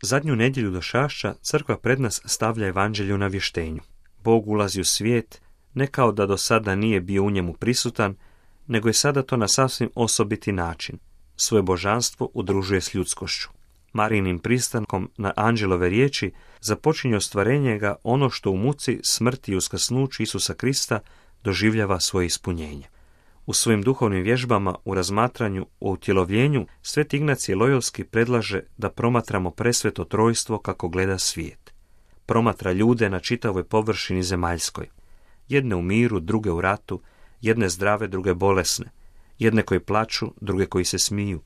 Zadnju nedjelju Došašća crkva pred nas stavlja evanđelje u navještenju. Bog ulazi u svijet, ne kao da do sada nije bio u njemu prisutan, nego je sada to na sasvim osobiti način. Svoje božanstvo udružuje s ljudskošću. Marijinim pristankom na anđelove riječi započinje ostvarenje ga ono što u muci, smrti i uskrsnuću Isusa Krista doživljava svoje ispunjenje. U svojim duhovnim vježbama u razmatranju o utjelovljenju Sveti Ignacij Lojolski predlaže da promatramo presveto trojstvo kako gleda svijet. Promatra ljude na čitavoj površini zemaljskoj. Jedne u miru, druge u ratu, jedne zdrave, druge bolesne, jedne koji plaču, druge koji se smiju,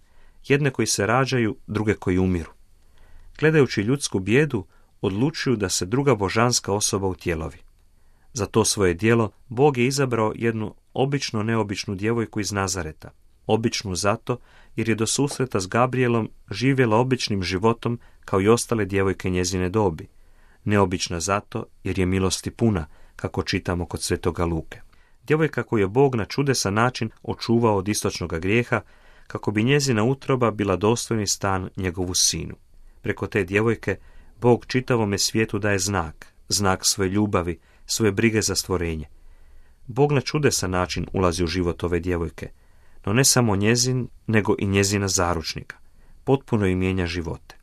jedne koji se rađaju, druge koji umiru. Gledajući ljudsku bijedu, odlučuju da se druga božanska osoba utjelovi. Za to svoje djelo Bog je izabrao jednu obično neobičnu djevojku iz Nazareta. Običnu zato jer je do susreta s Gabrijelom živjela običnim životom kao i ostale djevojke njezine dobi. Neobična zato jer je milosti puna, kako čitamo kod svetoga Luke. Djevojka koju je Bog na čudesan način očuvao od istočnoga grijeha, kako bi njezina utroba bila dostojni stan njegovu sinu. Preko te djevojke Bog čitavome svijetu daje znak svoje ljubavi, svoje brige za stvorenje. Bog na čudesan način ulazi u život ove djevojke, no ne samo njezin, nego i njezina zaručnika. Potpuno im mijenja živote.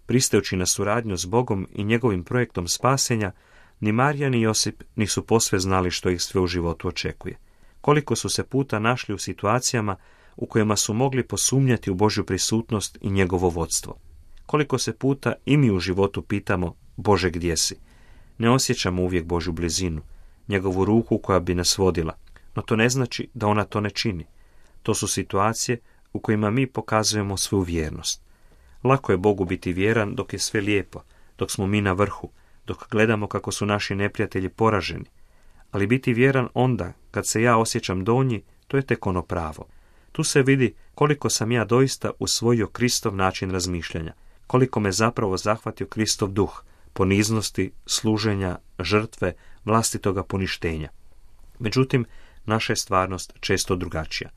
Pristajući na suradnju s Bogom i njegovim projektom spasenja, ni Marija ni Josip nisu posve znali što ih sve u životu očekuje. Koliko su se puta našli u situacijama u kojima su mogli posumnjati u Božju prisutnost i njegovo vodstvo. Koliko se puta i mi u životu pitamo: Bože, gdje si? Ne osjećamo uvijek Božju blizinu, njegovu ruku koja bi nas vodila, no to ne znači da ona to ne čini. To su situacije u kojima mi pokazujemo svoju vjernost. Lako je Bogu biti vjeran dok je sve lijepo, dok smo mi na vrhu, dok gledamo kako su naši neprijatelji poraženi. Ali biti vjeran onda, kad se ja osjećam donji, to je tek ono pravo. Tu se vidi koliko sam ja doista usvojio Kristov način razmišljanja, koliko me zapravo zahvatio Kristov duh, poniznosti, služenja, žrtve, vlastitoga poništenja. Međutim, naša je stvarnost često drugačija.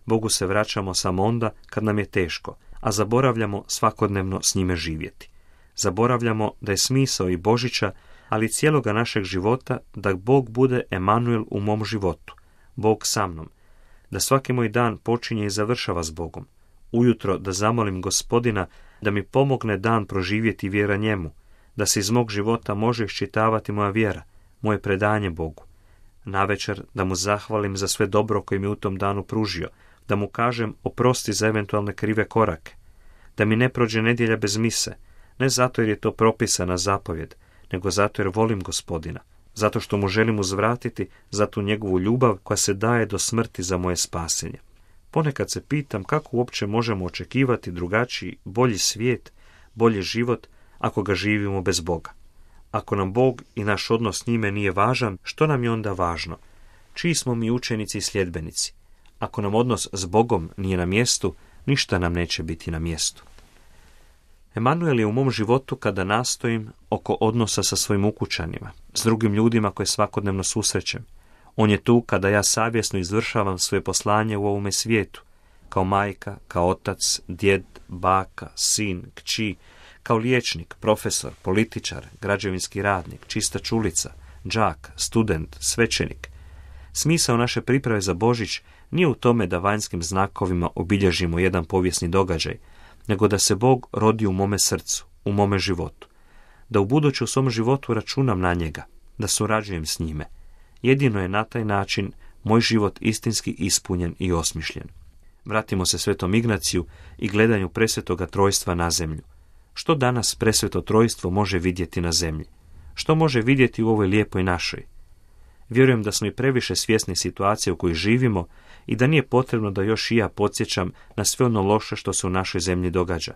Bogu se vraćamo samo onda kad nam je teško, a zaboravljamo svakodnevno s njime živjeti. Zaboravljamo da je smisao i Božića, ali i cijeloga našeg života, da Bog bude Emanuel u mom životu, Bog sa mnom, da svaki moj dan počinje i završava s Bogom. Ujutro da zamolim Gospodina da mi pomogne dan proživjeti vjera njemu, da se iz mog života može iščitavati moja vjera, moje predanje Bogu. Navečer da mu zahvalim za sve dobro koje mi u tom danu pružio, da mu kažem oprosti za eventualne krive korake, da mi ne prođe nedjelja bez mise, ne zato jer je to propisana zapovjed, nego zato jer volim Gospodina, zato što mu želim uzvratiti za tu njegovu ljubav koja se daje do smrti za moje spasenje. Ponekad se pitam kako uopće možemo očekivati drugačiji, bolji svijet, bolji život ako ga živimo bez Boga. Ako nam Bog i naš odnos s njime nije važan, što nam je onda važno? Čiji smo mi učenici i sljedbenici? Ako nam odnos s Bogom nije na mjestu, ništa nam neće biti na mjestu. Emanuel je u mom životu kada nastojim oko odnosa sa svojim ukućanima, s drugim ljudima koje svakodnevno susrećem. On je tu kada ja savjesno izvršavam svoje poslanje u ovome svijetu, kao majka, kao otac, djed, baka, sin, kći, kao liječnik, profesor, političar, građevinski radnik, čistač ulica, đak, student, svećenik. Smisao naše priprave za Božić nije u tome da vanjskim znakovima obilježimo jedan povijesni događaj, nego da se Bog rodi u mome srcu, u mome životu. Da ubuduće u svom životu računam na njega, da surađujem s njime. Jedino je na taj način moj život istinski ispunjen i osmišljen. Vratimo se Svetom Ignaciju i gledanju presvetoga trojstva na zemlju. Što danas presveto trojstvo može vidjeti na zemlji? Što može vidjeti u ovoj lijepoj našoj? Vjerujem da smo i previše svjesni situacije u kojoj živimo i da nije potrebno da još i ja podsjećam na sve ono loše što se u našoj zemlji događa.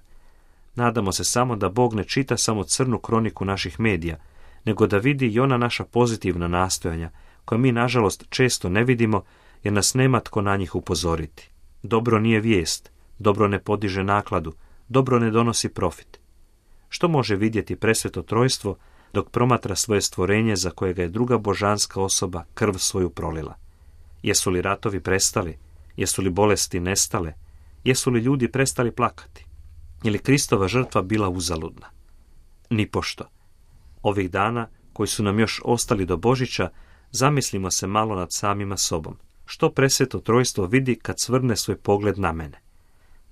Nadamo se samo da Bog ne čita samo crnu kroniku naših medija, nego da vidi i ona naša pozitivna nastojanja, koja mi nažalost često ne vidimo jer nas nema tko na njih upozoriti. Dobro nije vijest, dobro ne podiže nakladu, dobro ne donosi profit. Što može vidjeti presveto trojstvo dok promatra svoje stvorenje za kojega je druga božanska osoba krv svoju prolila? Jesu li ratovi prestali? Jesu li bolesti nestale? Jesu li ljudi prestali plakati? Je li Kristova žrtva bila uzaludna? Nipošto. Ovih dana, koji su nam još ostali do Božića, zamislimo se malo nad samima sobom. Što presveto trojstvo vidi kad svrne svoj pogled na mene?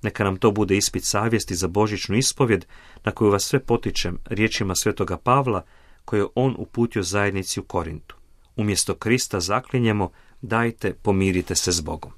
Neka nam to bude ispit savjesti za božićnu ispovjed, na koju vas sve potičem riječima svetoga Pavla, koje je on uputio zajednici u Korintu. Umjesto Krista zaklinjemo, dajte, pomirite se s Bogom.